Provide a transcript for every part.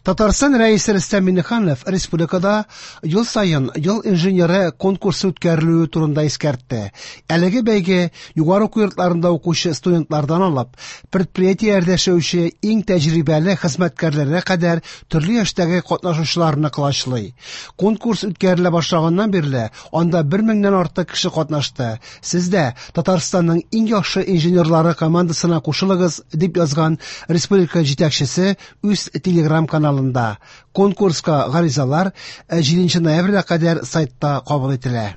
Татарстан Рәисе Рөстәм Миңнеханов республикада ел саен Ел инженеры конкурсы үткәрелүе турында искәртте. Әлеге бәйге югары уку йортларында укучы студентлардан алып, предприятиеләрдә эшләүче иң тәҗрибәле хезмәткәрләргә кадәр төрле яшьтәге катнашучыларны колачлый. Конкурс үткәрелә башлаганнан бирле анда 1000 меңнән артык кеше катнашты. Сез дә Татарстанның иң яхшы инженерлары командасына кушылыгыз, дип язган республика җитәкчесе үз телеграм-каналында. Конкурска гаризалар 7 ноябрьгә кадәр сайтта кабул ителә.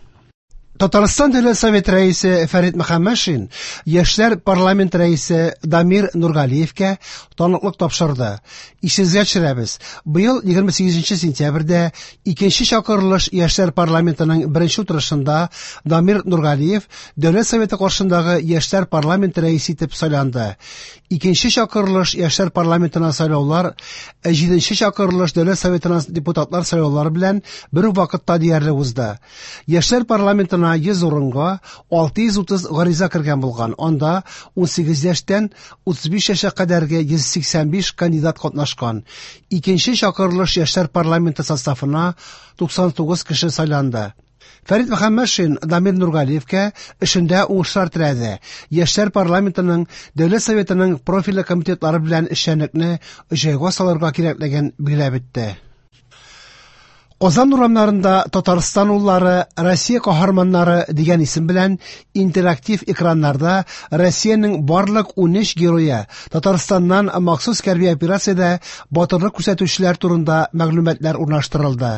Татарстан Дәүләт Советы рәисе Фәрит Мөхәммәтшин Яшьләр парламент рәисе Дамир Нургалиевкә таныклык тапшырды. Исегезгә төшерәбез, быел 28 сентябрьдә икенче чакырылыш Яшьләр парламентының беренче утырышында Дамир Нургалиев Дәүләт Советы каршындагы Яшьләр парламенты рәисе итеп сайланды. Икенче чакырылыш Яшьләр парламентына сайлаулар җиденче чакырылыш Дәүләт Советына депутатлар сайлаулары белән бер үк вакытта диярлек узды. Яшьләр парламентына 100 урынга 630 гариза кергән булган. Анда 18 яшьтән 35 яшькә кадәрге 185 кандидат катнашкан. Икенче чакырылыш Яшьләр парламенты составына 99 кеше сайланды. Фәрит Мөхәммәтшин Дамир Нургалиевкә эшендә уңышлар теләде. Яшьләр парламентының Дәүләт Советының профильле комитетлары белән эшчәнлекне җайга салырга кирәклеген билгеләп үтте. Казан урамнарында Татарстан уллары, Россия каһарманнары дигән исем белән интерактив экраннарда Россиянең барлык 13 герое, Татарстаннан махсус хәрби операциядә батырлык күрсәтүчеләр турында мәгълүматлар урнаштырылды.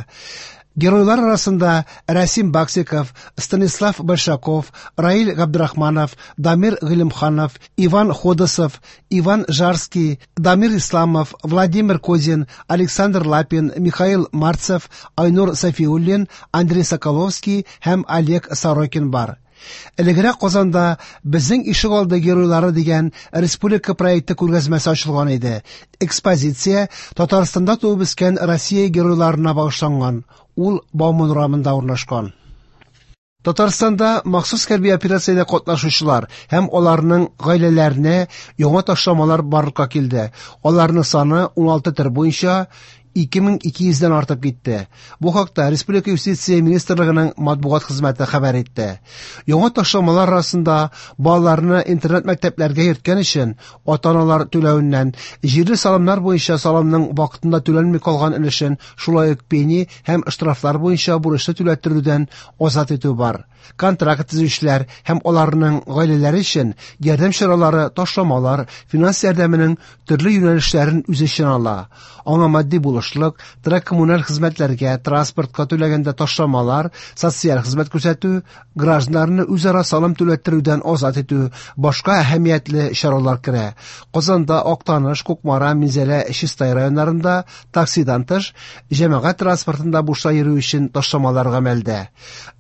Геройлар арасында Рәсим Баксиков, Станислав Большаков, Раил Габдрахманов, Дамир Гыйлемханов, Иван Ходосов, Иван Жарский, Дамир Исламов, Владимир Козин, Александр Лапин, Михаил Марцев, Айнур Сафиуллин, Андрей Соколовский һәм Олег Сорокин бар. Элегрәк Казанда Безнең ишегалды геройлары дигән республика проекты күргәзмәсе ачылган иде. Экспозиция Татарстанда туып үскән Россия геройларына багышланган. Ул Бауман урамында урнашкан. Татарстанда махсус хәрби операциядә катнашучылар һәм аларның гаиләләренә яңа ташламалар барлыкка килде. Аларның саны 16 төр буенча 2200дән артып китте. Бу хакта Республика юстиция министрлыгының матбугат хезмәте хәбәр итте. Яңа ташламалар арасында балаларны интернат мәктәпләргә йөрткән өчен ата-аналар түләвеннән, җирле салымнар буенча салымның вакытында түләнми калган өлешен, шулай ук пени һәм штрафлар буенча бурычны түләттерүдән азат итү бар. Контракт төзүчеләр һәм аларның гаиләләре өчен ярдәм чаралары, ташламалар, финанс ярдәменең төрле юнәлешләрен үз эченә ала. Аңа матди булышлык, торак-коммуналь хезмәтләргә, транспортка түләгәндә ташламалар, социаль хезмәт күрсәтү, гражданнарны үзара салым түләттерүдән азат итү, башка әһәмиятле чаралар керә. Казанда, Актаныш, Кукмара, Минзәлә, Чистай районнарында таксидан тыш җәмәгать транспортында бушлай йөрү өчен ташламалар гамәлдә.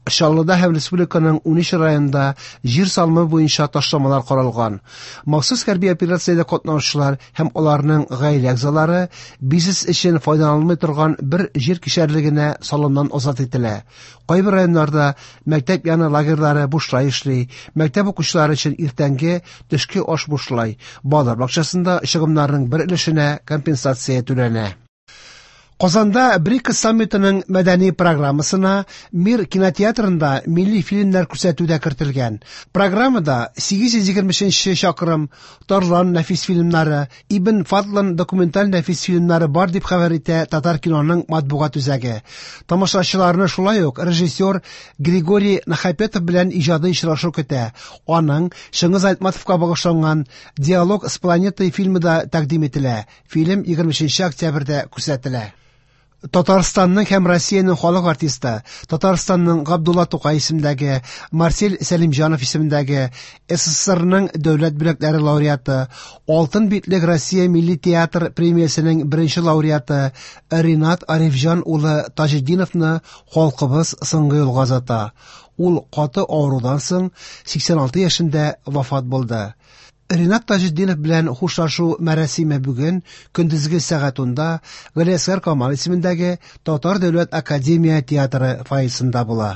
Чаллыда һәм республиканың 13 районында җир салымы буенча ташламалар каралган. Махсус хәрби операциядә катнашучылар һәм аларның гаилә әгъзалары бизнес өчен файдаланылмый торган бер җир кишәрлегенә салымнан азат ителә. Кайбер районнарда мәктәп яны лагерьлары бушлай эшли, мәктәп укучылары өчен иртәнге, төшке аш бушлай, балалар бакчасында чыгымнарның бер өлешенә компенсация түләнә. Казанда БРИКС саммитының мәдәни программасына Мир кинотеатрында милли фильмнар күрсәтү дә кертелгән. Программада 823 чакрым, Тарлан нәфис фильмнары, Ибн Фадлан документаль нәфис фильмнары бар дип хәбәр итә Татар киноның матбугат үзәге. Тамашачыларны шулай ук режиссер Григорий Нахапетов белән иҗади очрашу көтә. Аның Чыңгыз Айтматовка багышланган Диалог с планетой фильмы да тәкъдим ителә. Фильм 23 октябрьдә күрсәтелә. Татарстанның һәм Россиянең халык артисты, Татарстанның Габдулла Тукай исемендәге, Марсель Сәлимҗанов исемендәге, СССРның дәүләт бүләкләре лауреаты, Алтын битлек Россия милли театр премиясенең беренче лауреаты Ринат Арифҗан улы Таҗетдиновны халкыбыз соңгы юлга озата. Ул каты авырудан соң 86 яшендә вафат булды. Ринат Таҗетдинов белән хушлашу мәрасиме бүген көндезге сәгать 10-да Галиәсгар Камал исемендәге Татар дәүләт академия театры фойесында була.